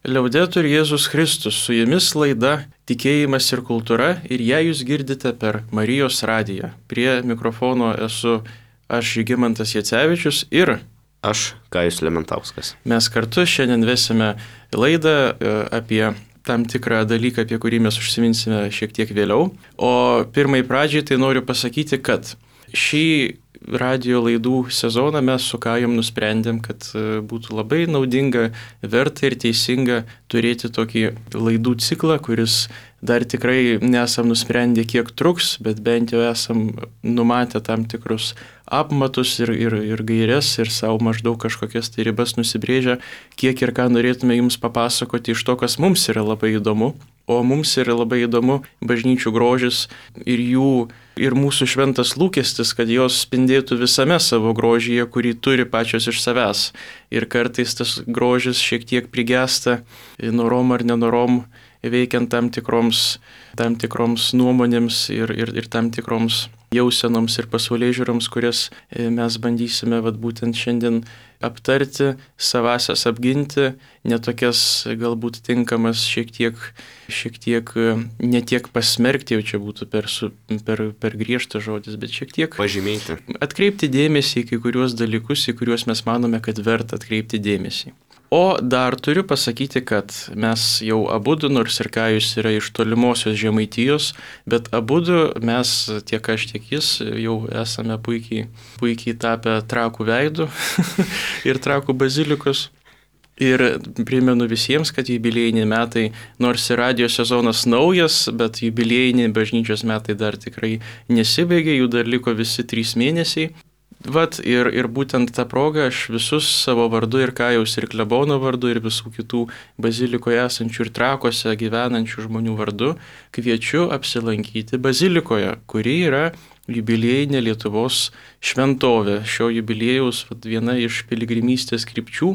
Liaudetur Jėzus Kristus, su jumis laida Tikėjimas ir kultūra ir ją jūs girdite per Marijos radiją. Prie mikrofono esu aš Žygimantas Jacevičius ir aš Kajus Lementauskas. Mes kartu šiandien vesime laidą apie tam tikrą dalyką, apie kurį mes užsiminsime šiek tiek vėliau. O pirmai pradžiai tai noriu pasakyti, kad šį radio laidų sezoną mes su Kajum nusprendėm, kad būtų labai naudinga, verta ir teisinga turėti tokį laidų ciklą, kuris dar tikrai nesam nusprendę, kiek truks, bet bent jau esam numatę tam tikrus apmatus ir gaires ir savo maždaug kažkokias tai ribas nusibrėžę, kiek ir ką norėtume jums papasakoti iš to, kas mums yra labai įdomu. O mums yra labai įdomu bažnyčių grožis ir mūsų šventas lūkestis, kad jos spindėtų visame savo grožyje, kurį turi pačios iš savęs. Ir kartais tas grožis šiek tiek prigesta, norom ar nenorom, veikiant tam tikroms nuomonėms ir tam tikroms jausenoms ir pasaulėžiūroms, kurias mes bandysime būtent šiandien aptarti, savasias apginti, netokias galbūt tinkamas šiek tiek netiek pasmerkti, jau čia būtų per griežtas žodis, bet šiek tiek pažymėti. Atkreipti dėmesį į kai kuriuos dalykus, į kuriuos mes manome, kad verta atkreipti dėmesį. O dar turiu pasakyti, kad mes jau abudu, nors ir Kajus yra iš tolimosios Žemaitijos, bet abudu mes, tiek aš, tiek jis, jau esame puikiai tapę Trakų veidų ir Trakų bazilikos. Ir primenu visiems, kad jubiliejiniai metai, nors ir radio sezonas naujas, bet jubiliejiniai bažnyčios metai dar tikrai nesibaigė, jų dar liko visi 3 mėnesiai. Ir būtent tą progą aš visus savo vardu ir Kajaus ir klebono vardu ir visų kitų bazilikoje esančių ir Trakuose gyvenančių žmonių vardu kviečiu apsilankyti bazilikoje, kuri yra jubiliejinė Lietuvos šventovė. Šio jubiliejaus viena iš piligrimystės krypčių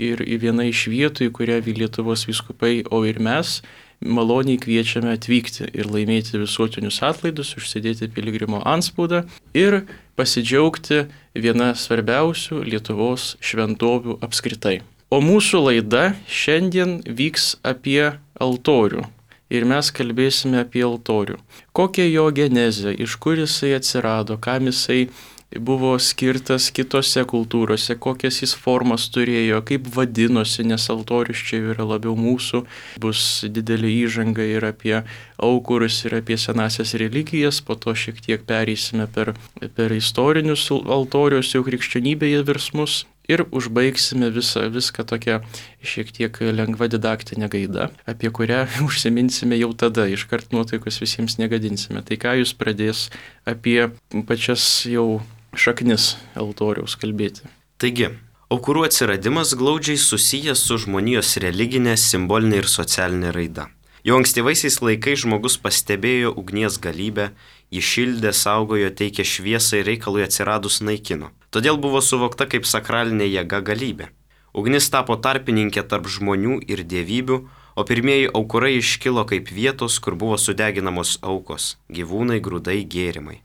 ir viena iš vietų, į kurią Lietuvos vyskupai, o ir mes maloniai kviečiame atvykti ir laimėti visuotinius atlaidus, užsidėti piligrimo antspaudą ir pasidžiaugti viena svarbiausių Lietuvos šventovių apskritai. O mūsų laida šiandien vyks apie altorių. Ir mes kalbėsime apie altorių. Kokia jo genezė, iš kur jisai atsirado, kam jisai buvo skirtas kitose kultūrose, kokias jis formas turėjo, kaip vadinosi, nes altorius čia yra labiau mūsų, bus didelė įžanga ir apie aukurus, ir apie senasias religijas, po to šiek tiek pereisime per istorinius altorius, jau krikščionybėje virsmus. Ir užbaigsime viską tokia šiek tiek lengva didaktinė gaida, apie kurią užsiminsime jau tada, iškart nuotaikos visiems negadinsime. Tai ką jūs pradės apie pačias jau šaknis altoriaus kalbėti. Taigi, aukurų atsiradimas glaudžiai susijęs su žmonijos religinė, simbolinė ir socialinė raida. Jau ankstyvaisiais laikais žmogus pastebėjo ugnies galybę, jį šildė, saugojo, teikė šviesą ir reikalui atsiradus naikino. Todėl buvo suvokta kaip sakralinė jėga galybė. Ugnis tapo tarpininkė tarp žmonių ir dievybių, o pirmieji aukurai iškilo kaip vietos, kur buvo sudeginamos aukos – gyvūnai, grūdai, gėrimai.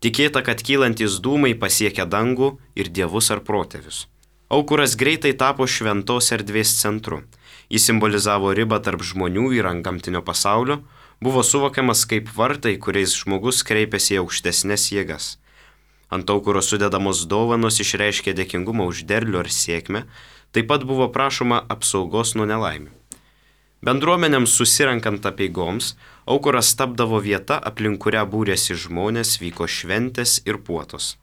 Tikėta, kad kylantis dūmai pasiekia dangų ir dievus ar protėvius. Aukuras greitai tapo šventos erdvės centru. Jis simbolizavo ribą tarp žmonių ir antgamtinio pasaulio, buvo suvokiamas kaip vartai, kuriais žmogus kreipėsi į aukštesnes jėgas. Ant aukuro sudedamos dovanos išreiškė dėkingumą už derlių ar sėkmę, taip pat buvo prašoma apsaugos nuo nelaimių. Bendruomenėms susirenkant apeigoms, aukuras tapdavo vieta, aplink kurią būrėsi žmonės, vyko šventės ir puotos.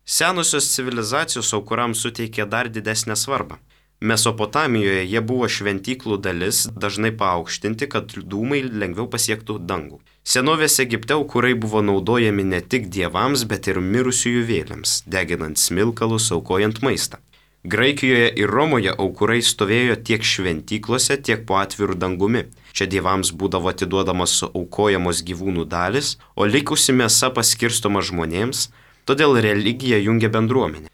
Senosios civilizacijos aukurams suteikė dar didesnę svarbą. Mesopotamijoje jie buvo šventyklų dalis, dažnai paaukštinti, kad dūmai lengviau pasiektų dangų. Senovės Egipte aukurai buvo naudojami ne tik dievams, bet ir mirusiųjų vėliams, deginant smilkalus, aukojant maistą. Graikijoje ir Romoje aukurai stovėjo tiek šventyklose, tiek po atviru dangumi. Čia dievams būdavo atiduodamos aukojamos gyvūnų dalis, o likusi mėsa paskirstoma žmonėms, todėl religija jungia bendruomenę.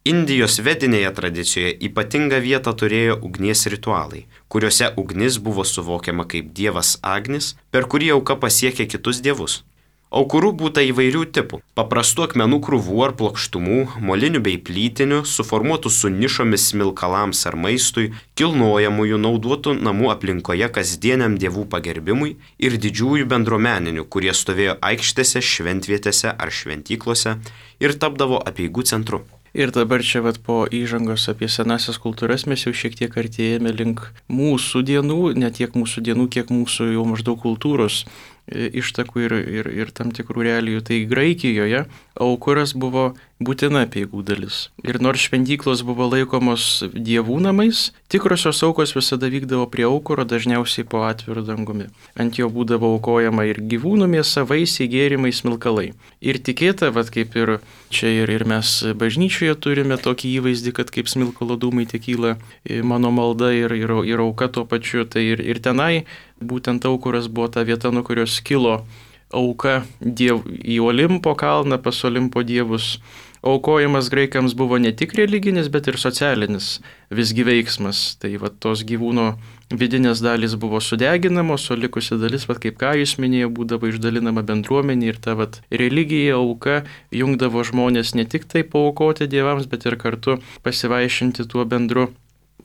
Indijos vedinėje tradicijoje ypatingą vietą turėjo ugnies ritualai, kuriuose ugnis buvo suvokiama kaip dievas Agnis, per kurį auka pasiekė kitus dievus. Aukurų būta įvairių tipų - paprastų akmenų krūvų ar plokštumų, molinių bei plytinių, suformuotų su nišomis smilkalams ar maistui, kilnojamųjų naudotų namų aplinkoje kasdieniam dievų pagerbimui ir didžiųjų bendruomeninių, kurie stovėjo aikštėse, šventvietėse ar šventyklose ir tapdavo apeigų centru. Ir dabar čia po įžangos apie senasias kultūras mes jau šiek tiek artėjame link mūsų dienų, ne tiek mūsų dienų, kiek mūsų jau maždaug kultūros ištakų ir tam tikrų realijų. Tai Graikijoje aukuras buvo būtina apeigų dalis. Ir nors šventyklos buvo laikomos dievų namais, tikrosios aukos visada vykdavo prie aukuro, dažniausiai po atviru dangumi. Ant jo būdavo aukojama ir gyvūnų mėsa, vaisiai, gėrimai, smilkalai. Ir tikėta, kaip ir čia ir mes bažnyčioje turime tokį įvaizdį, kad kaip smilkalo dūmai tekyla mano malda ir auka tuo pačiu, tai ir tenai būtent aukuras buvo ta vieta, nuo kurios kilo auka į Olimpo kalną, pas Olimpo dievus. Aukojimas graikams buvo ne tik religinis, bet ir socialinis visgi veiksmas. Tai tos gyvūno vidinės dalys buvo sudeginamos, o likusi dalis, kaip ką jūs minėjo, būdavo išdalinama bendruomenė ir ta religija, auka jungdavo žmonės ne tik tai paaukoti dievams, bet ir kartu pasivaišinti tuo bendru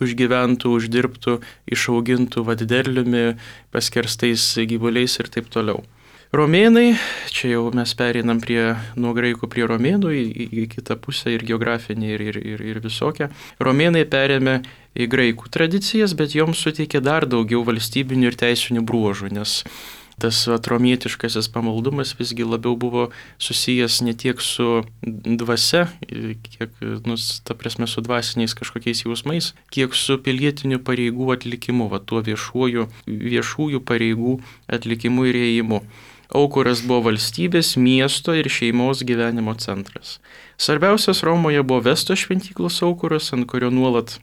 užgyventų, uždirbtų, išaugintų derliumi, paskerstais gyvuliais ir taip toliau. Romėnai, čia jau mes pereinam nuo graikų prie romėnų į kitą pusę ir geografinį ir visokią. Romėnai perėmė į graikų tradicijas, bet joms suteikė dar daugiau valstybinių ir teisinių bruožų, nes tas romietiškasis pamaldumas visgi labiau buvo susijęs ne tiek su dvasia, kiek, ta prasme, su dvasiniais kažkokiais jausmais, kiek su pilietinių pareigų atlikimu, tuo viešųjų pareigų atlikimu ir ėjimu. Aukuras buvo valstybės, miesto ir šeimos gyvenimo centras. Svarbiausias Romoje buvo Vesto šventyklos aukuras, ant kurio nuolat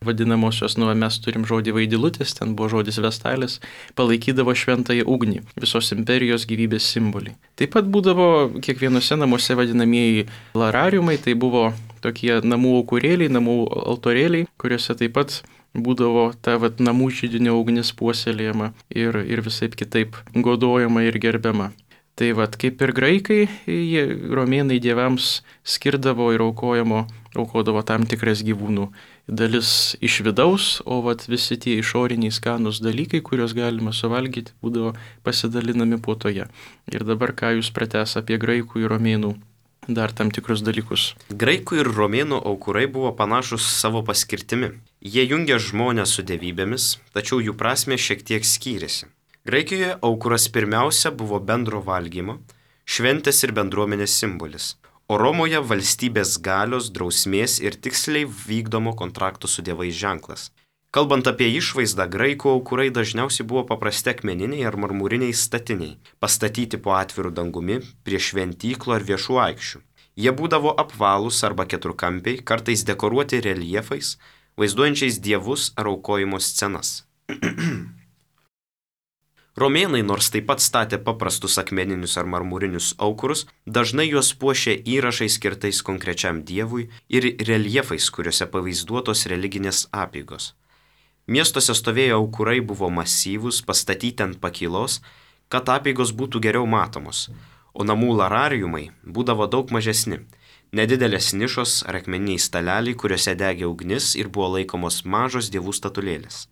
vadinamosios, mes turim žodį vaidilutės, ten buvo žodis vestalis, palaikydavo šventąją ugnį, visos imperijos gyvybės simbolį. Taip pat būdavo kiekvienose namuose vadinamieji larariumai, tai buvo tokie namų aukurėliai, namų altorėliai, kuriuose taip pat būdavo ta namų židinio ugnis puoselėjama ir visaip kitaip godojama ir gerbiama. Tai kaip ir graikai, romėnai dievams skirdavo ir aukodavo tam tikras gyvūnų dalis iš vidaus, o visi tie išoriniai skanūs dalykai, kuriuos galima suvalgyti, būdavo pasidalinami puotoje. Ir dabar ką jūs pratęs apie graikų ir romėnų dar tam tikrus dalykus. Graikų ir romėnų aukurai buvo panašus savo paskirtimi. Jie jungė žmonės su dievybėmis, tačiau jų prasmė šiek tiek skyrėsi. Graikijoje aukuras pirmiausia buvo bendro valgymo, šventės ir bendruomenės simbolis, o Romoje valstybės galios, drausmės ir tiksliai vykdomo kontrakto su dievais ženklas. Kalbant apie išvaizdą, graikų aukurai dažniausiai buvo paprasti akmeniniai ar marmuriniai statiniai, pastatyti po atviru dangumi, prie šventyklų ar viešų aikščių. Jie būdavo apvalūs arba keturkampiai, kartais dekoruoti reljefais, vaizduojančiais dievus ar aukojimo scenas. Romėnai, nors taip pat statė paprastus akmeninius ar marmurinius aukurus, dažnai juos puošė įrašais skirtais konkrečiam dievui ir reljefais, kuriuose pavaizduotos religinės apeigos. Miestuose stovėjo aukurai buvo masyvūs, pastatyti ant pakylos, kad apeigos būtų geriau matomos, o namų larariumai būdavo daug mažesni. Nedidelės nišos ar akmeniniai staleliai, kuriuose degė ugnis ir buvo laikomos mažos dievų statulėlės.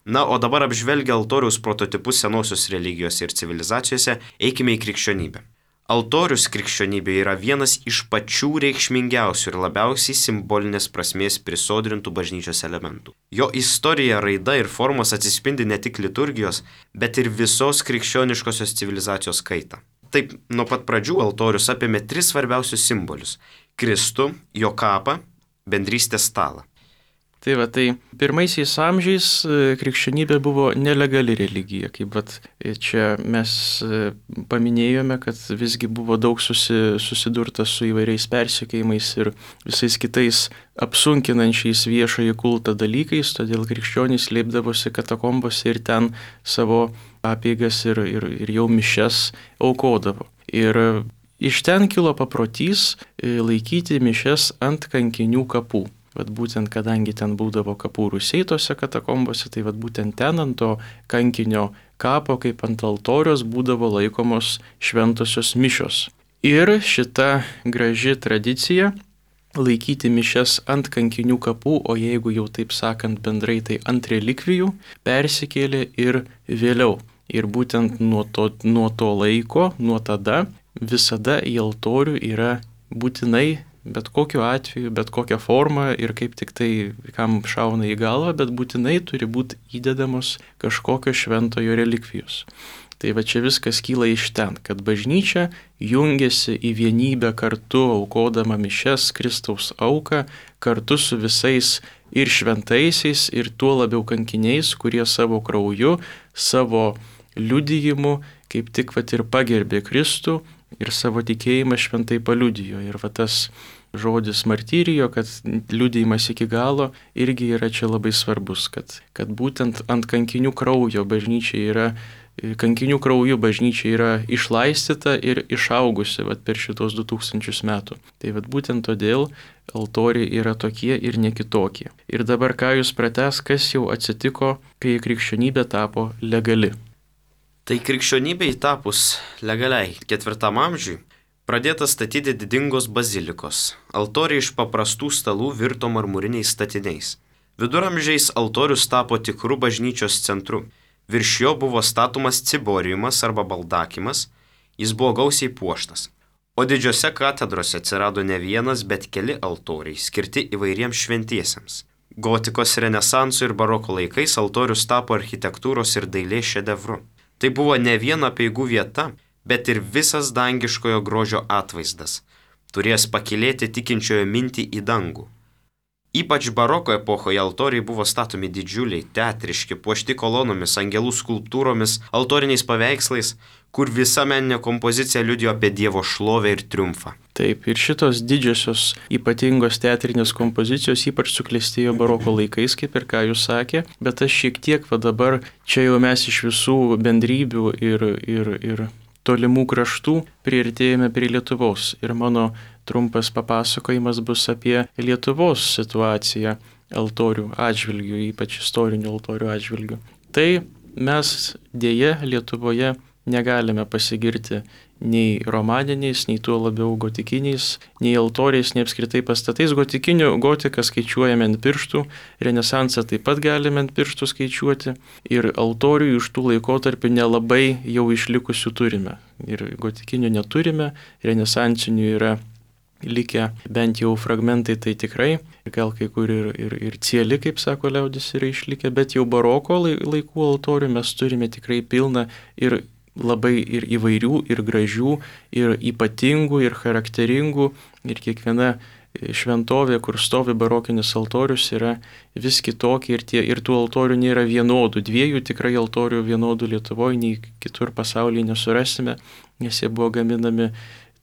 Na, o dabar apžvelgę altoriaus prototipus senosios religijos ir civilizacijose, eikime į krikščionybę. Altorius krikščionybė yra vienas iš pačių reikšmingiausių ir labiausiai simbolinės prasmės prisodrintų bažnyčios elementų. Jo istorija, raida ir formos atsispindi ne tik liturgijos, bet ir visos krikščioniškosios civilizacijos kaitą. Taip, nuo pat pradžių altorius apėmė 3 svarbiausius simbolius - Kristų, jo kapą, bendrystės stalą. Tai pirmaisiais amžiais krikščionybė buvo nelegali religija, kaip čia mes paminėjome, kad visgi buvo daug susidurta su įvairiais persekiojimais ir visais kitais apsunkinančiais viešąjį kultą dalykais, todėl krikščionys slėpdavosi katakombose ir ten savo apeigas ir jau mišias aukodavo. Ir iš ten kilo paprotys laikyti mišias ant kankinių kapų. Būtent kadangi ten būdavo kapų rūsiai tose katakombose, tai būtent ten ant to kankinio kapo kaip ant altoriaus būdavo laikomos šventosios mišios. Ir šita graži tradicija laikyti mišias ant kankinių kapų, o jeigu jau taip sakant bendrai, tai ant relikvijų, persikėlė ir vėliau. Ir būtent nuo to laiko, nuo tada, visada į altorių yra būtinai, bet kokiu atveju, bet kokią formą ir kaip tik tai kam šauna į galvą, bet būtinai turi būti įdedamos kažkokios šventojo relikvijos. Tai va čia viskas kyla iš ten, kad bažnyčia jungiasi į vienybę kartu, aukodama mišias Kristaus auką, kartu su visais ir šventaisiais, ir tuo labiau kankiniais, kurie savo krauju, savo liudijimu, kaip tik vat ir pagerbė Kristų ir savo tikėjimą šventai paliudijo. Ir va tas žodis martyrijo, kad liudijimas iki galo, irgi yra čia labai svarbus, kad būtent ant kankinių kraujo kankinių krauju bažnyčia yra išlaistyta ir išaugusi vat, per šitos 2000 metų. Tai vat, būtent todėl altoriai yra tokie ir ne kitokie. Ir dabar ką jūs pratęs, kas jau atsitiko, kai krikščionybė tapo legali. Tai krikščionybei tapus legaliai 4 amžiui pradėta statyti didingos bazilikos. Altoriai iš paprastų stalų virto marmuriniais statiniais. Viduramžiais altorius tapo tikru bažnyčios centru. Virš jo buvo statomas ciboriumas arba baldakimas, jis buvo gausiai puoštas. O didžiose katedrose atsirado ne vienas, bet keli altoriai, skirti įvairiems šventiesiems. Gotikos, renesanso ir baroko laikais altorius tapo architektūros ir dailės šedevru. Tai buvo ne viena apeigų vieta, bet ir visas dangiškojo grožio atvaizdas, turėjęs pakilėti tikinčiojo mintį į dangų. Ypač baroko epochoje altoriai buvo statomi didžiuliai, teatriški, puošti kolonomis, angelų skulptūromis, altoriniais paveikslais, kur visa meninė kompozicija liudijo apie Dievo šlovę ir triumfą. Taip, ir šitos didžiosios ypatingos teatrinės kompozicijos ypač suklestėjo baroko laikais, kaip ir ką jūs sakė, bet aš šiek tiek va dabar, čia jau mes iš visų bendrybių ir tolimų kraštų priartėjome prie Lietuvos. Ir mano trumpas papasakojimas bus apie Lietuvos situaciją altorių atžvilgių, ypač istorinių altorių atžvilgių. Tai mes dėja Lietuvoje negalime pasigirti nei romaniniais, nei tuo labiau gotikiniais, nei altoriais, nei apskritai pastatais. Gotiką skaičiuojame ant pirštų, renesansą taip pat galime ant pirštų skaičiuoti ir altorių iš tų laikotarpių nelabai jau išlikusių turime. Ir gotikinių neturime, renesansinių yra likę bent jau fragmentai, tai tikrai, gal kai kur ir cieli, kaip sako liaudis, yra išlikę, bet jau baroko laikų altorių mes turime tikrai pilną ir labai ir įvairių, ir gražių, ir ypatingų, ir charakteringų, ir kiekviena šventovė, kur stovi barokinis altorius, yra vis kitokia ir tų altorių nėra vienodų. 2 tikrai altorių vienodų Lietuvoje, nei kitur pasaulyje nesurasime, nes jie buvo gaminami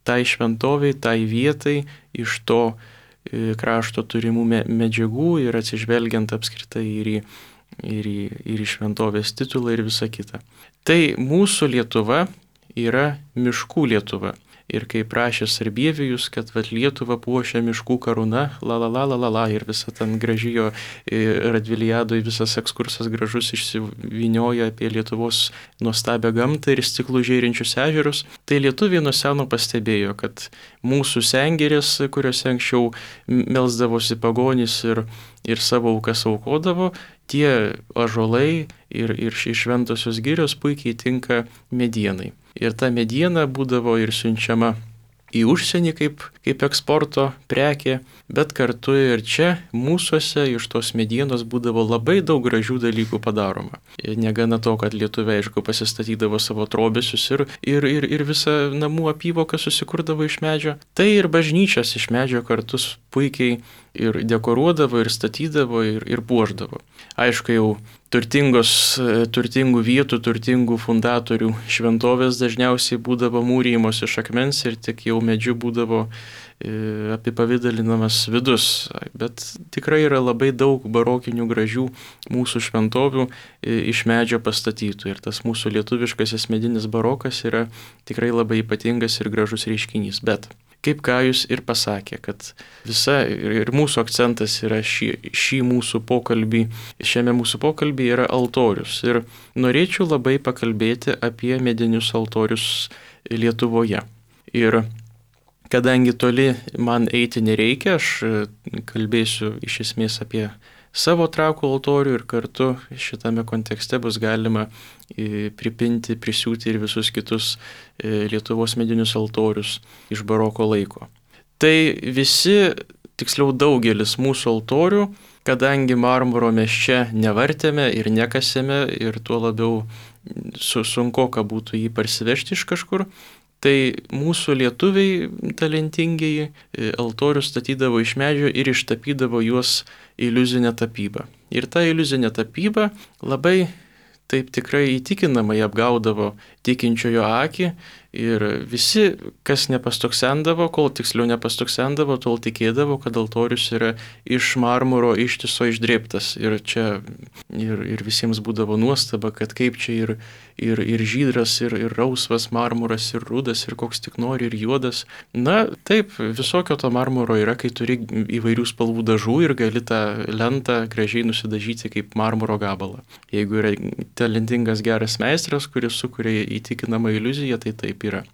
tai šventoviai, tai vietai, iš to krašto turimų medžiagų ir atsižvelgiant apskritai ir į šventovės titulą ir visą kitą. Tai mūsų Lietuva yra miškų Lietuva. Ir kaip prašė Sarbievijus, kad Lietuvą puošia miškų karūna, ir visa ten gražijo Radviliadoje visas ekskursas gražus išsivynioja apie Lietuvos nuostabią gamtą ir stiklų žėrinčius ežerus. Tai lietuviai nuo seno pastebėjo, kad mūsų sengirės, kuriuose anksčiau melsdavosi pagonys ir savo aukas aukodavo, tie ąžuolai ir šventosios girios puikiai tinka medienai. Ir ta mediena būdavo ir siunčiama į užsienį kaip eksporto prekė, bet kartu ir čia mūsuose iš tos medienos būdavo labai daug gražių dalykų padaroma. Ir negana to, kad lietuviai, aišku, pasistatydavo savo trobesius ir visą namų apyvoką susikurdavo iš medžio, tai ir bažnyčias iš medžio kartus puikiai ir dekoruodavo, ir statydavo, ir puošdavo. Aišku, jau turtingų vietų, turtingų fundatorių šventovės dažniausiai būdavo mūrijimos iš akmens ir tik jau medžiu būdavo apipavidalinamas vidus. Bet tikrai yra labai daug barokinių gražių mūsų šventovių iš medžio pastatytų. Ir tas mūsų lietuviškasis medinis barokas yra tikrai labai ypatingas ir gražus reiškinys. Bet kaip Kajus ir pasakė, kad visa ir mūsų akcentas yra šiame mūsų pokalbį yra altorius. Ir norėčiau labai pakalbėti apie medinius altorius Lietuvoje. Ir kadangi toli man eiti nereikia, aš kalbėsiu iš esmės apie savo trakų altorių ir kartu šitame kontekste bus galima pripinti, prisiūti ir visus kitus Lietuvos medinius altorius iš baroko laiko. Tai visi, tiksliau daugelis mūsų altorių, kadangi marmuro mes čia nevartėme ir nekasėme ir tuo labiau sunkoka būtų jį parsivežti iš kažkur, tai mūsų lietuviai talentingieji altorius statydavo iš medžio ir ištapydavo juos iliuzinę tapybą. Ir ta iliuzinė tapyba labai taip tikrai įtikinamai apgaudavo tikinčiojo akį ir visi, kas nepastoksendavo, kol tiksliau nepastoksendavo, tol tikėdavo, kad altorius yra iš marmuro ištiso išdrėbtas. Ir čia ir visiems būdavo nuostaba, kad kaip čia ir žydras, ir rausvas marmuras, ir rudas, ir koks tik nori, ir juodas. Na, taip, visokio to marmuro yra, kai turi įvairių spalvų dažų ir gali tą lentą gražiai nusidažyti kaip marmuro gabalą. Jeigu yra talentingas geras meistras, kuris sukuria įtikinamą iliuziją, tai taip yra.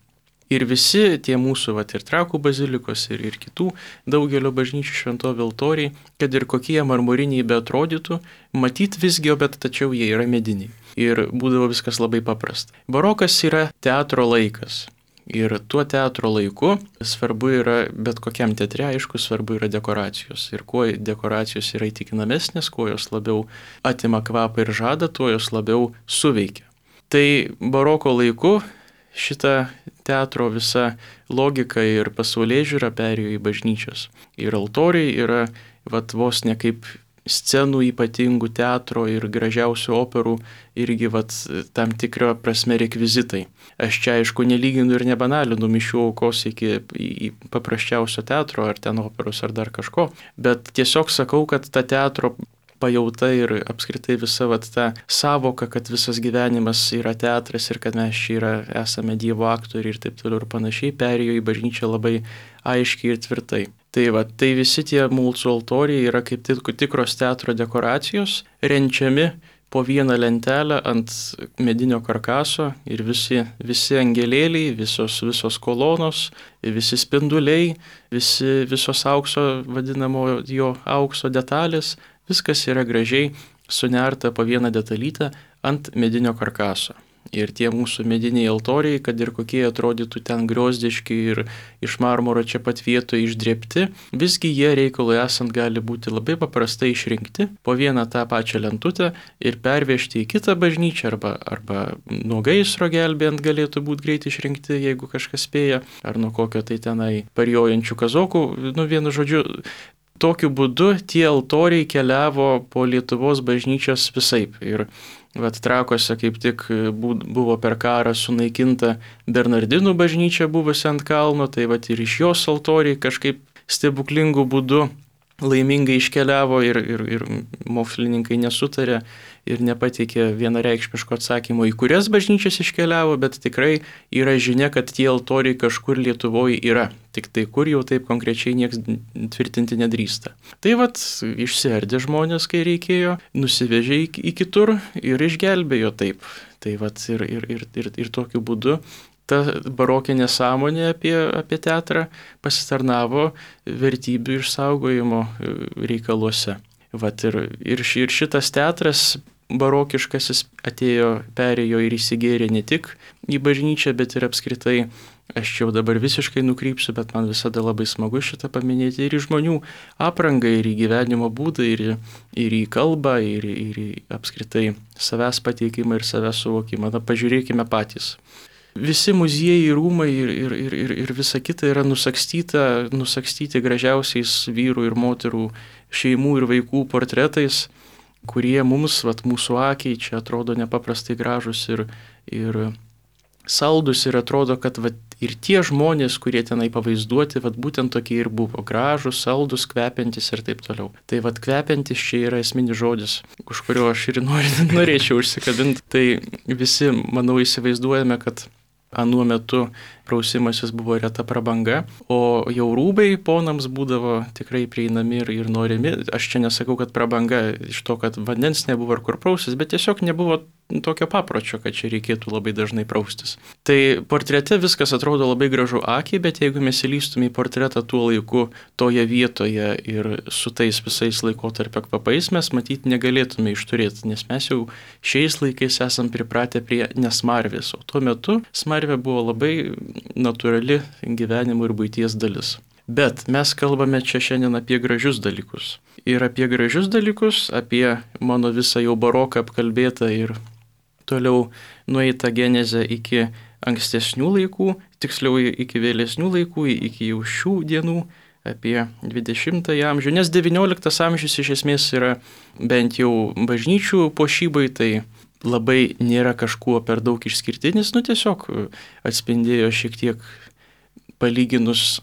Ir visi tie mūsų ir Trakų bazilikos ir kitų daugelio bažnyčių šventovių altoriai, kad ir kokie marmuriniai beatrodytų, matyt visgi, bet tačiau jie yra mediniai. Ir būdavo viskas labai paprasta. Barokas yra teatro laikas. Ir tuo teatro laiku svarbu yra, bet kokiam teatre, aišku, svarbu yra dekoracijos. Ir kuo dekoracijos yra įtikinamesnės, kuo jos labiau atima kvapą ir žadą, tuo jos labiau suveikia. Tai baroko laiku šita teatro visa logika ir pasaulėžiūra perėjo į bažnyčios. Ir altoriai yra vos ne kaip scenų ypatingų teatro ir gražiausių operų irgi tam tikro prasme rekvizitai. Aš čia aišku nelyginu ir nebanalinu mišių aukos iki paprasčiausio teatro ar ten operos ar dar kažko, bet tiesiog sakau, kad ta teatro pajauta ir apskritai visa ta savoka, kad visas gyvenimas yra teatras ir kad mes čia esame Dievo aktoriai ir taip toliau ir panašiai, perėjo į bažnyčią labai aiškiai ir tvirtai. Tai visi tie mūsų altoriai yra kaip tikros teatro dekoracijos, renčiami po vieną lentelę ant medinio karkaso ir visi angelėliai, visos kolonos, visi spinduliai, visos aukso vadinamo jo aukso detalės, viskas yra gražiai sunerta po vieną detalytę ant medinio karkaso. Ir tie mūsų mediniai altoriai, kad ir kokie atrodytų ten griozdiški ir iš marmuro čia pat vietoje išdrėbti, visgi jie reikalui esant gali būti labai paprastai išrinkti po vieną tą pačią lentutę ir pervežti į kitą bažnyčią arba nuo gaisro gelbėjant galėtų būti greit išrinkti, jeigu kažkas spėja, ar nuo kokio tai tenai parijojančių kazokų, vienu žodžiu. Tokiu būdu tie altoriai keliavo po Lietuvos bažnyčios visaip. Ir Trakuose kaip tik buvo per karą sunaikinta Bernardinų bažnyčia buvusi ant kalno, tai ir iš jos altoriai kažkaip stebuklingų būdų laimingai iškeliavo ir mokslininkai nesutarė ir nepateikė vienareikšmiško atsakymo, į kurias bažnyčias iškeliavo, bet tikrai yra žinia, kad tie altoriai kažkur Lietuvoje yra. Tik tai kur jau taip konkrečiai nieks tvirtinti nedrįsta. Tai išsiardė žmonės, kai reikėjo, nusivežė į kitur ir išgelbėjo taip. Tai ir tokiu būdu ta barokinė sąmonė apie teatrą pasitarnavo vertybių išsaugojimo reikaluose. Ir šitas teatras barokiškasis perėjo ir įsigėrė ne tik į bažnyčią, bet ir apskritai, aš čia jau dabar visiškai nukrypsiu, bet man visada labai smagu šitą paminėti, ir į žmonių aprangą, ir į gyvenimo būdą, ir į kalbą, ir į apskritai savęs pateikimą ir savęs suvokimą. Pažiūrėkime patys. Visi muziejai, rūmai ir visa kita yra nusakstyti gražiausiais vyrų ir moterų, šeimų ir vaikų portretais, kurie mums, mūsų akiai, čia atrodo nepaprastai gražus ir saldus, ir atrodo, kad ir tie žmonės, kurie tenai pavaizduoti, būtent tokie ir buvo gražus, saldus, kvepiantis ir taip toliau. Tai kvepiantis čia yra esminis žodis, už kurio aš ir norėčiau užsikabinti. Tai visi, manau, įsivaizduojame, kad Anuo metu prausimasis buvo reta prabanga, o jau rūbai ponams būdavo tikrai prieinami ir norimi. Aš čia nesakau, kad prabanga iš to, kad vandens nebuvo ar kur prausis, bet tiesiog nebuvo tokio papročio, kad čia reikėtų labai dažnai praustis. Tai portrete viskas atrodo labai gražu akiai, bet jeigu mes įlystume į portretą tuo laiku, toje vietoje ir su tais visais laikotarpio kvapais, mes matyti negalėtume išturėti, nes mes jau šiais laikais esam pripratę prie nesmarvės, o tuo metu smarvė buvo labai natūrali gyvenimo ir buities dalis. Bet mes kalbame čia šiandien apie gražius dalykus. Ir apie gražius dalykus, apie mano visą jau baroką apkalbėtą ir toliau nueita genezė iki ankstesnių laikų, tiksliau iki vėlesnių laikų, iki jau šių dienų, apie 20 amžių, nes 19 amžius iš esmės yra bent jau bažnyčių puošybai, tai labai nėra kažkuo per daug išskirtinis, tiesiog atspindėjo šiek tiek palyginus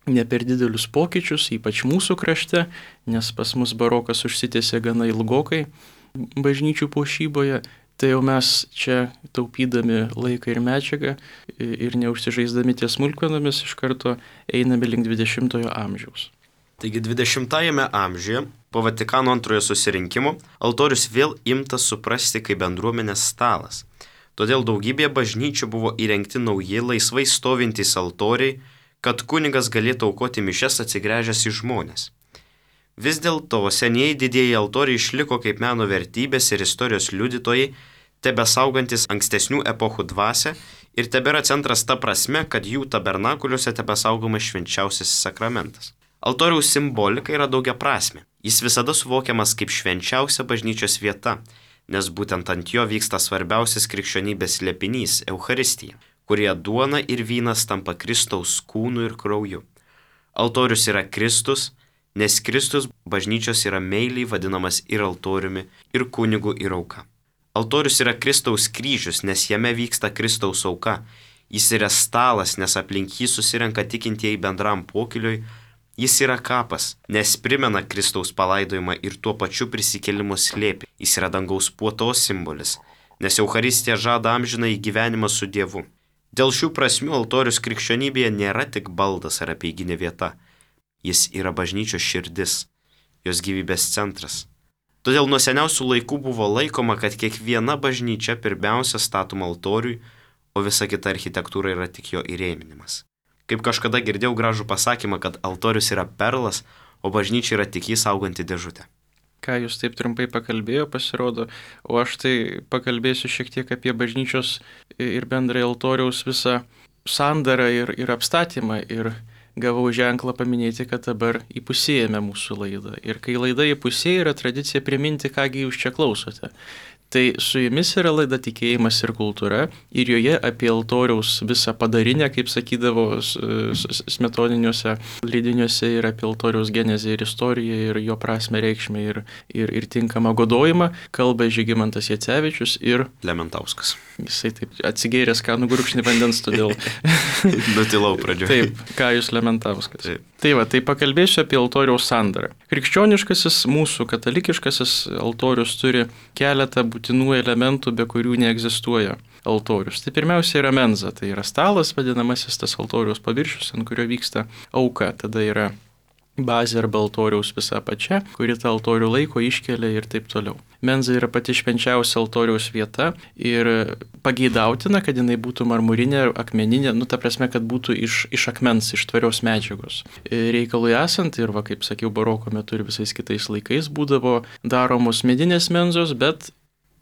ne per didelius pokyčius, ypač mūsų krašte, nes pas mus barokas užsitęsė gana ilgokai bažnyčių puošyboje. Tai jau mes čia taupydami laiką ir medžiagą ir neužsižaisdami ties smulkmenomis iš karto einame link 20-ojo amžiaus. Taigi 20-ajame amžiuje po Vatikano antrojo susirinkimo altorius vėl imtas suprasti kaip bendruomenės stalas. Todėl daugybėje bažnyčių buvo įrengti nauji laisvai stovintys altoriai, kad kunigas galėtų aukoti mišias atsigręžęs į žmones. Vis dėlto senieji didieji altoriai išliko kaip meno vertybės ir istorijos liudytojai, tebesaugantis ankstesnių epochų dvasią ir tebėra centras ta prasme, kad jų tabernakuliuose tebesaugomas švenčiausiasis sakramentas. Altoriaus simbolika yra daugiaprasmė. Jis visada suvokiamas kaip švenčiausia bažnyčios vieta, nes būtent ant jo vyksta svarbiausias krikščionybės slėpinys – Eucharistija, kurie duona ir vynas tampa Kristaus kūnu ir krauju. Altorius yra Kristus, nes Kristus bažnyčios yra meiliai vadinamas ir altoriumi, ir kunigu, ir auka. Altorius yra Kristaus kryžius, nes jame vyksta Kristaus auka. Jis yra stalas, nes aplink jį susirenka tikintieji bendram pokyliui. Jis yra kapas, nes primena Kristaus palaidojimą ir tuo pačiu prisikėlimo slėpį. Jis yra dangaus puotos simbolis, nes Eucharistija žada amžiną į gyvenimą su Dievu. Dėl šių prasmių altorius krikščionybėje nėra tik baldas ar apeiginė vieta. Jis yra bažnyčios širdis, jos gyvybės centras. Todėl nuo seniausių laikų buvo laikoma, kad kiekviena bažnyčia pirmiausia statoma altoriui, o visa kita architektūra yra tik jo įrėminimas. Kaip kažkada girdėjau gražų pasakymą, kad altorius yra perlas, o bažnyčia yra tik jį sauganti dėžutė. Ką jūs taip trumpai pakalbėjo, pasirodo, o aš tai pakalbėsiu šiek tiek apie bažnyčios ir bendrai altoriaus visą sandarą ir apstatymą. Ir gavau ženklą paminėti, kad dabar įpusėjame mūsų laidą. Ir kai laida įpusėja, yra tradicija priminti, kągi jūs čia klausote. Tai su jumis yra laida Tikėjimas ir kultūra ir joje apie altoriaus visą padarinę, kaip sakydavo smetoniniuose leidiniuose, ir apie altoriaus genezę ir istoriją ir jo prasmę, reikšmę ir tinkamą godojimą kalba Žygimantas Jacevičius ir Lementauskas. Jisai taip atsigėręs kanų gurkšnį vandens, todėl nutilau pradžioje. Taip, Kajus Lementauskas. Tai pakalbėsiu apie altoriaus sandarą. Krikščioniškasis, mūsų katalikiškasis altorius turi keletą būtinų elementų, be kurių neegzistuoja altorius. Tai pirmiausia yra menza, tai yra stalas, vadinamasis tas altoriaus paviršius, ant kurio vyksta auka. Tada yra bazė arba altoriaus visa apačia, kuri tą altorių laiko iškelia ir taip toliau. Menza yra pati švenčiausia altoriaus vieta ir pageidautina, kad jinai būtų marmurinė, akmeninė, ta prasme, kad būtų iš akmens, iš tvarios medžiagos. Reikalui esant, ir kaip sakiau, baroko metu ir visais kitais laikais būdavo daromos medinės menzos, bet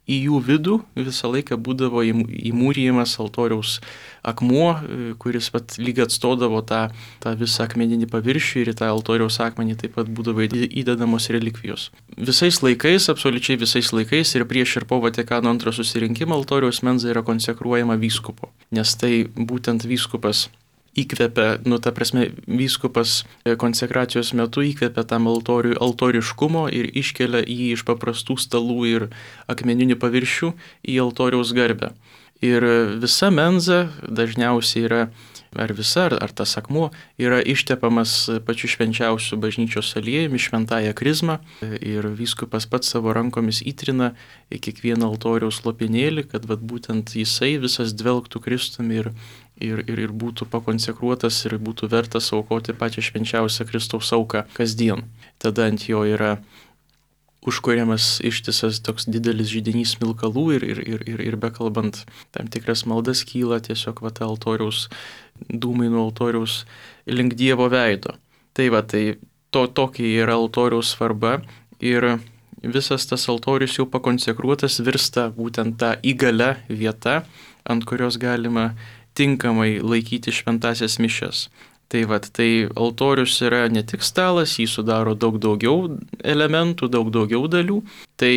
į jų vidų visą laiką būdavo įmūrijimas altoriaus akmuo, kuris lyg atstodavo tą visą akmeninį paviršių, ir į tą altoriaus akmenį taip pat būdavo įdedamos relikvijos. Visais laikais, absoliučiai visais laikais ir prieš ir po Vatikano antrojo susirinkimo altoriaus menza yra konsekruojama vyskupo, nes tai būtent vyskupas įkvepia, vyskupas konsekracijos metu įkvepia tam altoriui altoriškumo ir iškelia jį iš paprastų stalų ir akmeninių paviršių į altoriaus garbę. Ir visa menza dažniausiai yra ar visa, ar tas akmuo yra ištepamas pačiu švenčiausiu bažnyčios aliejumi, šventąją krizmą ir vyskupas pats savo rankomis įtrina į kiekvieną altoriaus lopinėlį, kad vat būtent jisai visas dvelgtų Kristumi ir būtų pakonsekruotas ir būtų vertas aukoti pačią švenčiausią Kristaus auką kasdien. Tada ant jo yra užkuriamas ištisas toks didelis židinys smilkalų ir bekalbant tam tikras maldas kyla tiesiog altoriaus dūmai nuo altoriaus link Dievo veido. Tai tokia yra altoriaus svarba ir visas tas altorius jau pakonsekruotas virsta būtent tą įgalia vieta, ant kurios galima tinkamai laikyti šventasias mišias. Tai altorius yra ne tik stalas, jį sudaro daug daugiau elementų, daug daugiau dalių. Tai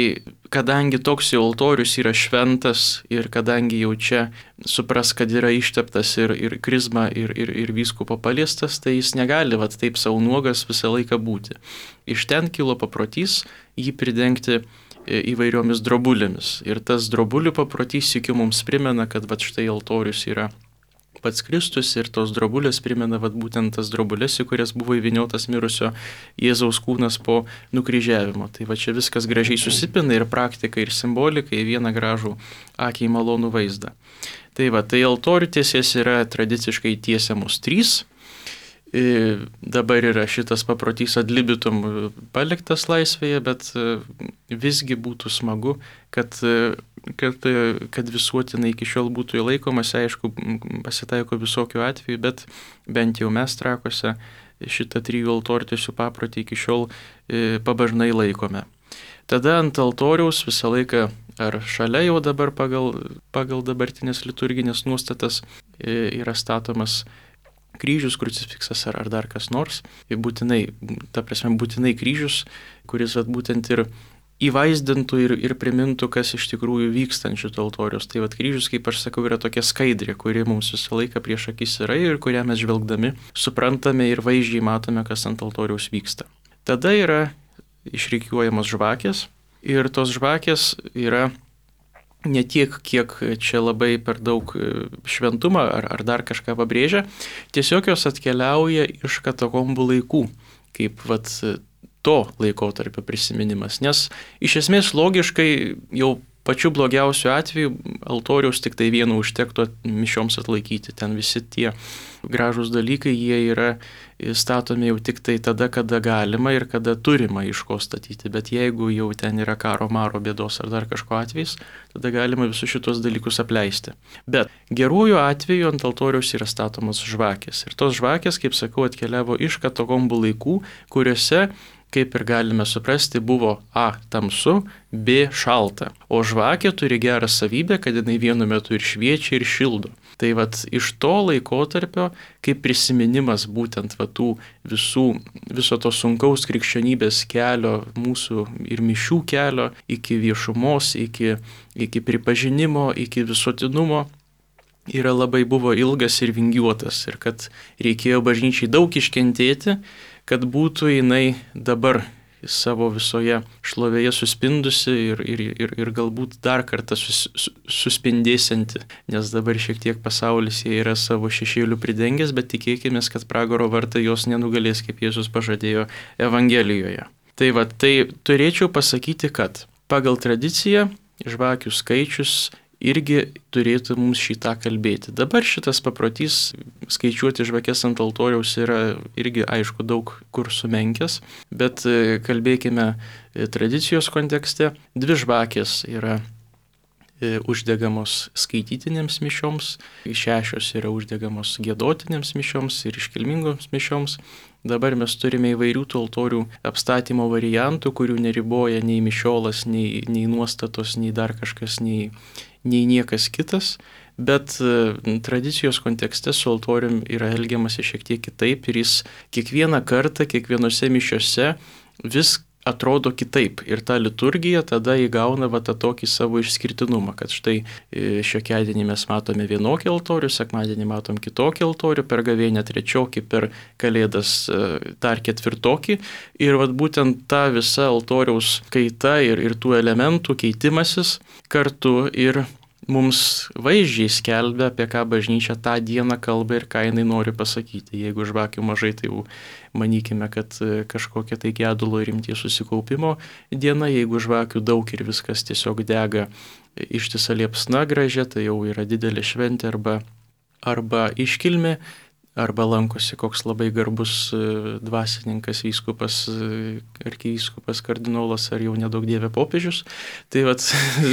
kadangi toks jau altorius yra šventas ir kadangi jau čia supras, kad yra išteptas ir krizma ir vyskupo paliestas, tai jis negali taip savo nuogas visą laiką būti. Iš ten kilo paprotys jį pridengti įvairiomis drobulėmis. Ir tas drobulių paprotys iki mums primena, kad štai altorius yra pats Kristus ir tos drobulės primena būtent tas drobulės, į kurias buvo įvyniotas mirusio Jėzaus kūnas po nukryžiavimo. Tai čia viskas gražiai susipina ir praktika, ir simbolika į vieną gražų akiai malonų vaizdą. Tai altorių tiesės yra tradiciškai tiesiamos 3. Dabar yra šitas paprotys ad libitum paliktas laisvėje, bet visgi būtų smagu, kad visuotinai iki šiol būtų įlaikomas. Aišku, pasitaiko visokių atvejų, bet bent jau mes Trakuose šitą 3 altortiesių paprotį iki šiol pabažnai laikome. Tada ant altoriaus visą laiką, ar šalia jau dabar pagal dabartinės liturginės nuostatas yra statomas kryžius, krucifiksas ar dar kas nors. Būtinai kryžius, kuris būtent ir įvaizdintų ir primintų, kas iš tikrųjų vyksta ant šito altoriaus. Tai kryžius, kaip aš sakau, yra tokia skaidrė, kuri mums visą laiką prieš akis yra ir kurią mes žvelgdami suprantame ir vaizdžiai matome, kas ant altoriaus vyksta. Tada yra išrikiuojamos žvakės ir tos žvakės yra ne tiek, kiek čia labai per daug šventumą ar dar kažką pabrėžia, tiesiog jos atkeliauja iš katakombų laikų, kaip to laikotarpio prisiminimas. Nes iš esmės logiškai jau pačiu blogiausiu atveju altoriaus tik tai vienu užtektų mišioms atlaikyti. Ten visi tie gražūs dalykai, jie yra statomi jau tik tai tada, kada galima ir kada turima iš ko statyti. Bet jeigu jau ten yra karo, maro, bėdos ar dar kažko atvejais, tada galima visus šitos dalykus apleisti. Bet geruoju atveju ant altoriaus yra statomos žvakės. Ir tos žvakės, kaip sakau, atkeliavo iš katakombų laikų, kuriuose, kaip ir galime suprasti, buvo A. tamsu, B. šalta. O žvakė turi gerą savybę, kad jinai vienu metu ir šviečia, ir šildo. Tai iš to laikotarpio, kaip prisiminimas būtent viso to sunkaus krikščionybės kelio, mūsų ir mišių kelio, iki viešumos, iki pripažinimo, iki visuotinumo, buvo ilgas ir vingiuotas. Ir kad reikėjo bažnyčiai daug iškentėti, kad būtų jinai dabar savo visoje šlovėje suspindusi ir galbūt dar kartą suspindėsianti, nes dabar šiek tiek pasaulis jie yra savo šešėlių pridengęs, bet tikėkime, kad pragaro vartai jos nenugalės, kaip Jėzus pažadėjo Evangelijoje. Tai turėčiau pasakyti, kad pagal tradiciją žvakių skaičius irgi turėtų mums šitą kalbėti. Dabar šitas paprotys skaičiuoti žvakes ant altoriaus yra irgi, aišku, daug kur sumenkęs, bet kalbėkime tradicijos kontekste. 2 žvakės yra uždegamos skaitytinėms mišioms, 6 yra uždegamos giedotinėms mišioms ir iškilmingoms mišioms. Dabar mes turime įvairių tų altorių apstatymo variantų, kurių neriboja nei mišiolas, nei nuostatos, nei dar kažkas, nei niekas kitas, bet tradicijos kontekste su altorium yra elgiamasi šiek tiek kitaip ir jis kiekvieną kartą, kiekvienose mišiose vis atrodo kitaip ir ta liturgija tada įgauna tą tokį savo išskirtinumą, kad štai šiokiadienį mes matome vienokį altorių, sekmadienį matom kitokį altorių, per gavėnią trečiokį, per kalėdas dar ketvirtokį ir būtent ta visa altoriaus kaita ir tų elementų keitimasis kartu ir mums vaizdžiai skelbia, apie ką bažnyčia tą dieną kalba ir ką jinai nori pasakyti. Jeigu žvakių mažai, tai jau manykime, kad kažkokia tai gedulo ir rimties susikaupimo diena, jeigu žvakių daug ir viskas tiesiog dega ištisa liepsna gražia, tai jau yra didelė šventė arba iškilmė, arba lankosi koks labai garbus dvasininkas, vyskupas, arkivyskupas, kardinolas ar jau nedaug dievė popiežius. Tai vat,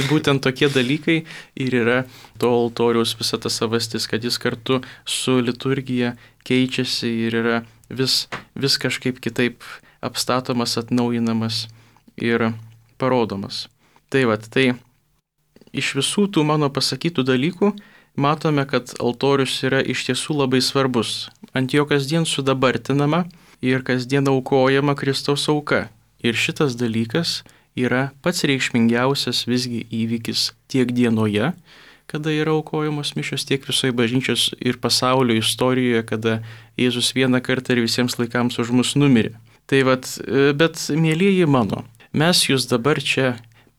būtent tokie dalykai ir yra to altoriaus visa ta savastis, kad jis kartu su liturgija keičiasi ir yra vis kažkaip kitaip apstatomas, atnaujinamas ir parodomas. Tai vat, tai iš visų tų mano pasakytų dalykų matome, kad altorius yra iš tiesų labai svarbus. Ant jo kasdien sudabartinama ir kasdien aukojama Kristaus auka. Ir šitas dalykas yra pats reikšmingiausias visgi įvykis tiek dienoje, kada yra aukojamos mišios, tiek visoje bažnyčios ir pasaulio istorijoje, kada Jėzus vieną kartą ir visiems laikams už mus numirė. Tai vat, bet mielieji mano, mes jūs dabar čia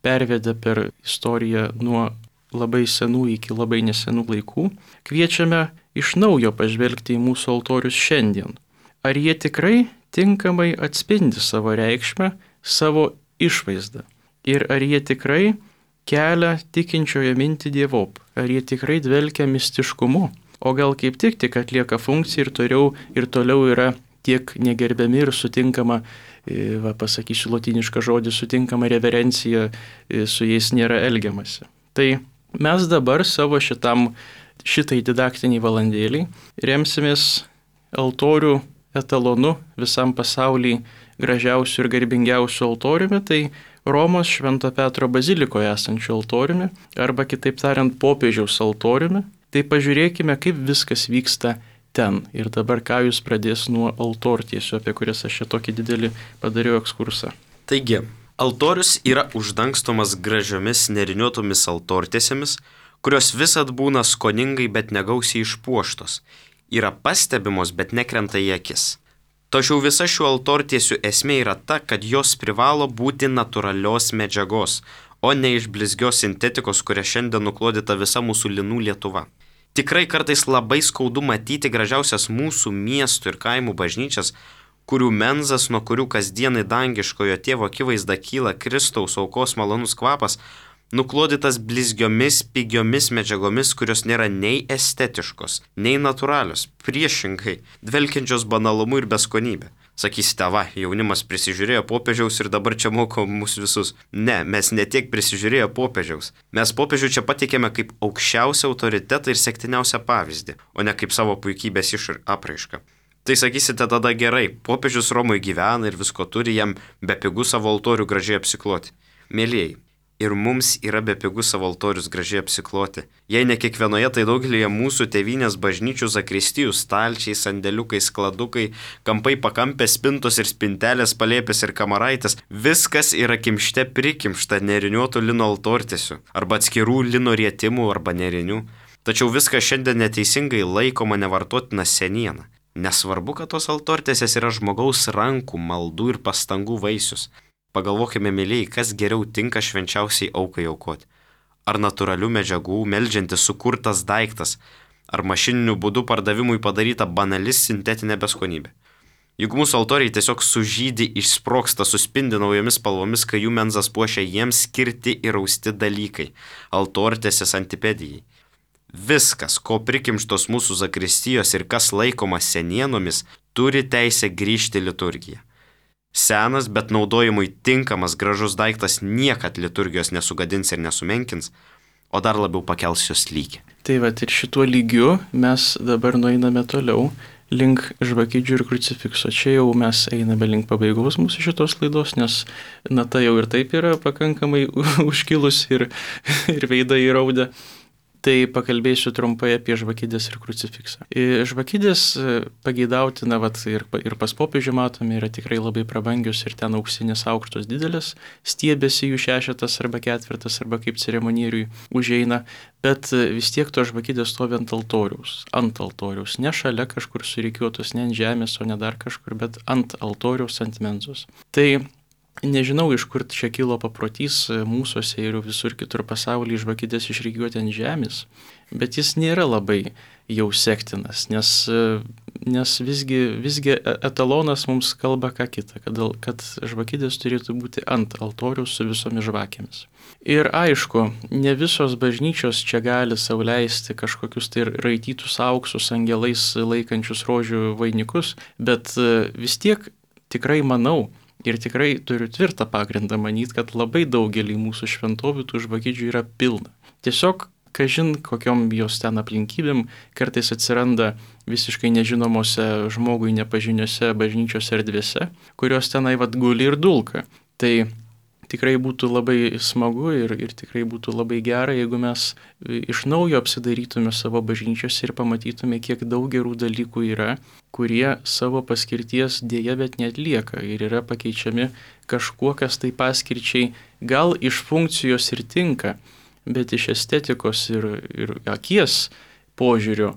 pervedę per istoriją nuo labai senų iki labai nesenų laikų, kviečiame iš naujo pažvelgti į mūsų altorius šiandien. Ar jie tikrai tinkamai atspindi savo reikšmę, savo išvaizdą? Ir ar jie tikrai kelia tikinčiojo mintį dievop? Ar jie tikrai dvelkia mistiškumu? O gal kaip tik atlieka funkciją ir toliau yra tiek negerbiami ir sutinkama, pasakysiu lotynišką žodį, sutinkama reverencija, su jais nėra elgiamasi. Tai mes dabar savo šitai didaktiniai valandėliai remsimės altorių etalonu visam pasaulyje gražiausių ir garbingiausių altoriumi, tai Romos Švento Petro bazilikoje esančių altoriumi, arba kitaip tariant popiežiaus altoriumi. Tai pažiūrėkime, kaip viskas vyksta ten. Ir dabar ką jūs pradės nuo altortiesių, apie kurias aš čia tokį didelį padariau ekskursą. Taigi, altorius yra uždangstomas gražiomis neriniuotomis altortiesėmis, kurios visad būna skoningai, bet negausiai išpuoštos, yra pastebimos, bet nekrenta į akis. Tačiau visa šių altortiesių esmė yra ta, kad jos privalo būti natūralios medžiagos, o ne iš blizgios sintetikos, kuria šiandien nuklodyta visa mūsų linų Lietuva. Tikrai kartais labai skaudu matyti gražiausias mūsų miestų ir kaimų bažnyčias, kurių menzas, nuo kurių kasdienai dangiškojo tėvo akivaizda kyla Kristaus aukos malonus kvapas, nuklodytas blizgiomis, pigiomis medžiagomis, kurios nėra nei estetiškos, nei natūralios, priešingai, dvelkiančios banalumu ir beskonybė. Sakysite, va, jaunimas prisižiūrėjo popiežiaus ir dabar čia moko mus visus. Ne, mes ne tiek prisižiūrėjo popiežiaus. Mes popiežių čia pateikėme kaip aukščiausią autoritetą ir sektiniausią pavyzdį, o ne kaip savo puikybės apraišką. Tai sakysite tada gerai, popiežius Romoje gyvena ir visko turi, jam bepigu savo altorių gražiai apsikloti. Mielieji, ir mums yra bepigu savo altorius gražiai apsikloti. Jei ne kiekvienoje, tai daugelėje mūsų tėvynės bažnyčių zakristijų stalčiai, sandėliukai, skladukai, kampai pakampės, spintos ir spintelės, palėpės ir kamaraitės, viskas yra kimšte prikimšta neriniuotų lino altortiesių, arba atskirų lino rietimų arba nerinių. Tačiau viskas šiandien neteisingai laikoma nevartotina seniena. Nesvarbu, kad tos altortiesės yra žmogaus rankų, maldų ir pastangų vaisius. Pagalvokime, mėlyjei, kas geriau tinka švenčiausiai aukai aukoti. Ar natūralių medžiagų meldžiantis sukurtas daiktas, ar mašininiu būdu pardavimui padaryta banali sintetinė beskonybė. Juk mūsų altoriai tiesiog sužydi, išsprogsta, suspindi naujomis spalvomis, kai jų menzas puošia jiems skirti ir austi dalykai, altortiesės antipedijai. Viskas, ko prikimštos mūsų zakristijos ir kas laikoma senienomis, turi teisę grįžti liturgiją. Senas, bet naudojimui tinkamas gražus daiktas niekad liturgijos nesugadins ir nesumenkins, o dar labiau pakels jos lygį. Tai va, ir šituo lygiu mes dabar nueiname toliau link žvakidžių ir krucifikso. Čia jau mes einame link pabaigos mūsų šitos laidos, nes nata jau ir taip yra pakankamai užkilus ir veidai įraudę. Tai pakalbėsiu trumpai apie žvakidės ir krucifiksą. Žvakidės pageidautina, ir pas popiežių matome, yra tikrai labai prabangios ir ten auksinės aukštos didelės, stiebėsi jų 6 arba 4 arba kaip ceremonieriui užeina, bet vis tiek to žvakidės stovi ant altoriaus, ne šalia kažkur surikiuotos, ne ant žemės, o ne dar kažkur, bet ant altoriaus, ant menzos. Tai Nežinau, iš kur čia kilo paprotys mūsųse ir visur kitur pasaulyje žvakidės išrikiuoti ant žemės, bet jis nėra labai jau sektinas, nes visgi etalonas mums kalba ką kitą, kad žvakidės turėtų būti ant altoriaus su visomis žvakėmis. Ir aišku, ne visos bažnyčios čia gali sau leisti kažkokius tai raitytus auksus angelais laikančius rožių vainikus, bet vis tiek tikrai manau, ir tikrai turiu tvirtą pagrindą manyti, kad labai daugelį mūsų šventovių tų žvakidžių yra pilna. Tiesiog, kažin kokiom jos ten aplinkybėm, kartais atsiranda visiškai nežinomose žmogui nepažiniose bažnyčios erdvėse, kurios tenai guli ir dulka. Tai tikrai būtų labai smagu ir tikrai būtų labai gera, jeigu mes iš naujo apsidairytume savo bažnyčiose ir pamatytume, kiek daug gerų dalykų yra, kurie savo paskirties dėja bet neatlieka ir yra pakeičiami kažkuo, kas tai paskirčiai gal iš funkcijos ir tinka, bet iš estetikos ir akies požiūrio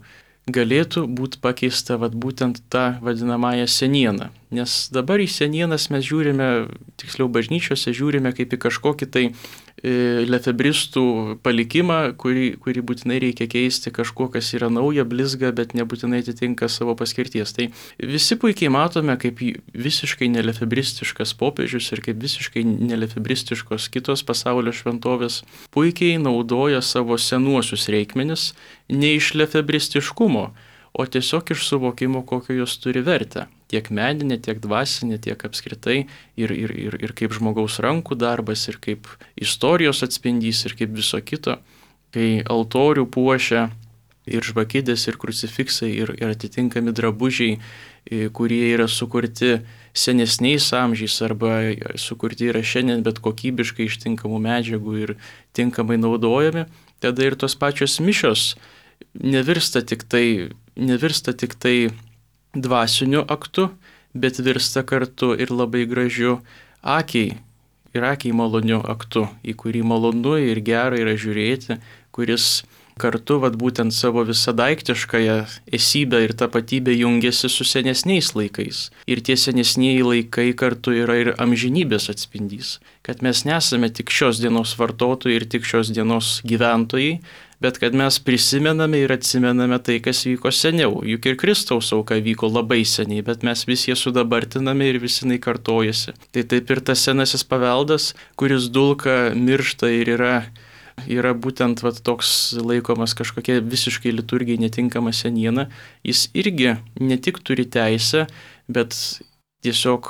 galėtų būti pakeista būtent tą vadinamąją senieną. Nes dabar į senienas mes žiūrime, tiksliau bažnyčiose žiūrime kaip į kažkokį tai lefebristų palikimą, kurį būtinai reikia keisti kažkuo, kas yra nauja, blizga, bet nebūtinai atitinka savo paskirties. Tai visi puikiai matome, kaip visiškai nelefebristiškas popiežius ir kaip visiškai nelefebristiškos kitos pasaulio šventovės puikiai naudoja savo senuosius reikmenis ne iš lefebristiškumo, o tiesiog iš suvokimo, kokio jos turi vertę. Tiek meninė, tiek dvasinė, tiek apskritai ir kaip žmogaus rankų darbas, ir kaip istorijos atspindys, ir kaip viso kito. Kai altorių puošia ir žvakidės, ir krucifiksai, ir atitinkami drabužiai, kurie yra sukurti senesniais amžiais arba sukurti yra šiandien, bet kokybiškai iš tinkamų medžiagų ir tinkamai naudojami, tada ir tos pačios mišios nevirsta tik tai dvasiniu aktu, bet virsta kartu ir labai gražiu akiai maloniu aktu, į kurį malonu ir gera yra žiūrėti, kuris kartu būtent savo visą daiktiškąją esybę ir tapatybę jungiasi su senesniais laikais. Ir tie senesnieji laikai kartu yra ir amžinybės atspindys, kad mes nesame tik šios dienos vartotojai ir tik šios dienos gyventojai, bet kad mes prisimename ir atsimename tai, kas vyko seniau. Juk ir Kristaus auka vyko labai seniai, bet mes vis jie sudabartiname ir vis jinai kartojasi. Tai taip ir tas senasis paveldas, kuris dulka, miršta ir yra būtent toks laikomas kažkokia visiškai liturgijai netinkama seniena, jis irgi ne tik turi teisę, bet tiesiog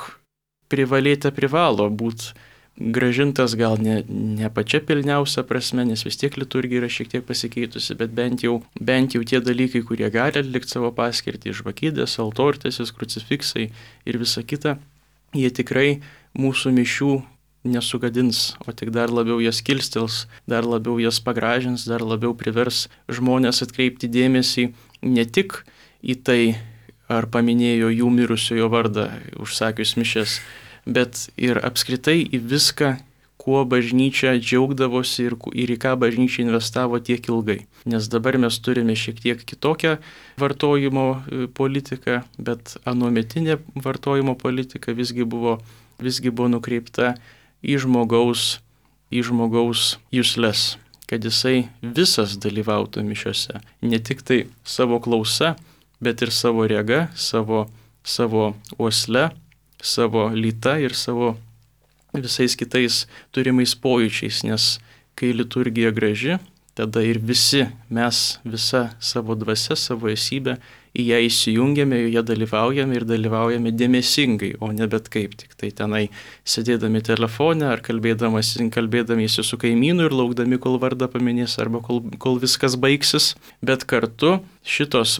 privalo būti grąžintas gal ne pačia pilniausia prasme, nes vis tiek liturgija yra šiek tiek pasikeitusi, bet bent jau tie dalykai, kurie gali atlikti savo paskirtį, žvakidės, altortėsis, krucifiksai ir visa kita, jie tikrai mūsų mišių nesugadins, o tik dar labiau jas kilstels, dar labiau jas pagražins, dar labiau privers žmonės atkreipti dėmesį ne tik į tai, ar paminėjo jų mirusiojo vardą užsakius mišias, bet ir apskritai į viską, kuo bažnyčia džiaugdavosi ir į ką bažnyčia investavo tiek ilgai. Nes dabar mes turime šiek tiek kitokią vartojimo politiką, bet anuometinė vartojimo politika visgi buvo nukreipta į žmogaus jusles, kad jisai visas dalyvautų mišiose, ne tik tai savo klausa, bet ir savo rega, savo uosle, savo lyta ir savo visais kitais turimais pojūčiais, nes kai liturgija graži, tada ir mes visa savo dvasia, savo esybę į ją įsijungiame, joje dalyvaujame dėmesingai, o ne bet kaip, tik tai tenai sėdėdami telefone ar kalbėdamiesi su kaimynu ir laukdami, kol vardą paminės arba kol viskas baigsis, bet kartu šitos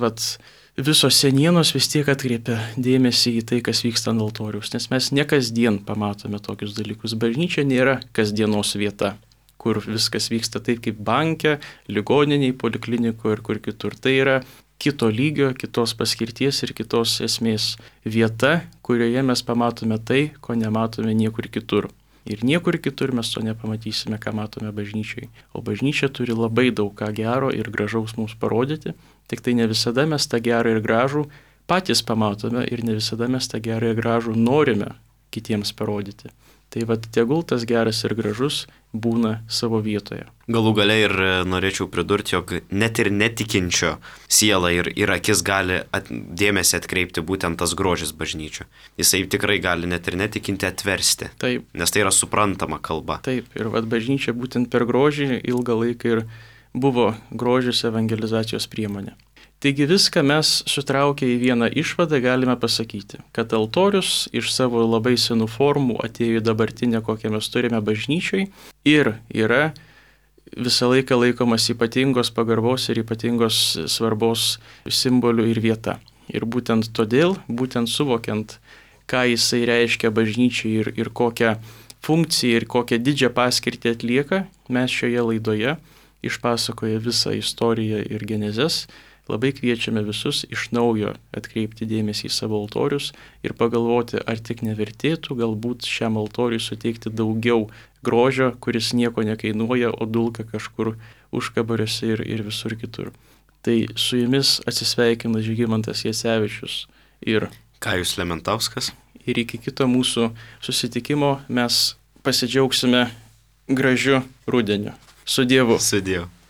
visos senienos vis tiek atkreipia dėmesį į tai, kas vyksta ant altoriaus, nes mes ne kasdien pamatome tokius dalykus. Bažnyčia nėra kasdienos vieta, kur viskas vyksta taip kaip banke, ligoniniai, poliklinikoje ir kur kitur. Tai yra kito lygio, kitos paskirties ir kitos esmės vieta, kurioje mes pamatome tai, ko nematome niekur kitur. Ir niekur kitur mes to nepamatysime, ką matome bažnyčiai. O bažnyčia turi labai daug ką gero ir gražaus mums parodyti, tik tai ne visada mes tą gerą ir gražų patys pamatome ir ne visada mes tą gerą ir gražų norime kitiems parodyti. Tai vat tegul tas geras ir gražus būna savo vietoje. Galų gale ir norėčiau pridurti, jog net ir netikinčio siela ir akis gali dėmesį atkreipti būtent tas grožis bažnyčio. Jisai tikrai gali net ir netikinti atversti. Taip. Nes tai yra suprantama kalba. Taip, ir vat bažnyčia būtent per grožį ilgą laiką ir buvo grožis evangelizacijos priemonė. Taigi viską mes sutraukę į vieną išvadą galime pasakyti, kad altorius iš savo labai senų formų atėjo į dabartinę, kokią mes turime bažnyčiai ir yra visą laiką laikomas ypatingos pagarbos ir ypatingos svarbos simbolių ir vieta. Ir būtent todėl, būtent suvokiant, ką jisai reiškia bažnyčiai ir kokią funkciją ir kokią didžią paskirtį atlieka, mes šioje laidoje išpasakoję visą istoriją ir genezes, labai kviečiame visus iš naujo atkreipti dėmesį į savo altorius ir pagalvoti, ar tik nevertėtų galbūt šiam altoriui suteikti daugiau grožio, kuris nieko nekainuoja, o dulka kažkur užkabariuose ir visur kitur. Tai su jumis atsisveikina Žygimantas Jacevičius ir Kajus Lementauskas. Ir iki kito mūsų susitikimo mes pasidžiaugsime gražiu rudeniu. Su Dievu. Su Dievu.